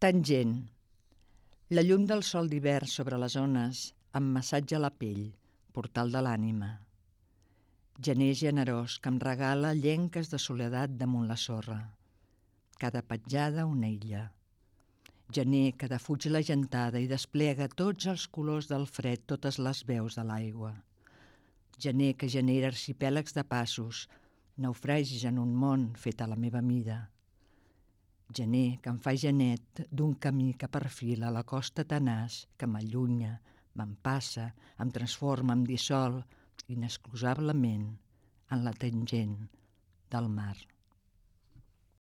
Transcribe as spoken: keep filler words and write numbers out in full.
Tangent. La llum del sol d'hivern sobre les ones em massatja la pell, portal de l'ànima. Gener generós que em regala llenques de soledat damunt la sorra. Cada petjada una illa. Gener que defuig la gentada i desplega tots els colors del fred, totes les veus de l'aigua. Gener que genera arxipèlags de passos, naufragis en un món fet a la meva mida. Gener que em fa genet d'un camí que perfila la costa tenaç que m'allunya, m'empassa, em transforma, em dissol, inexcusablement, en la tangent del mar.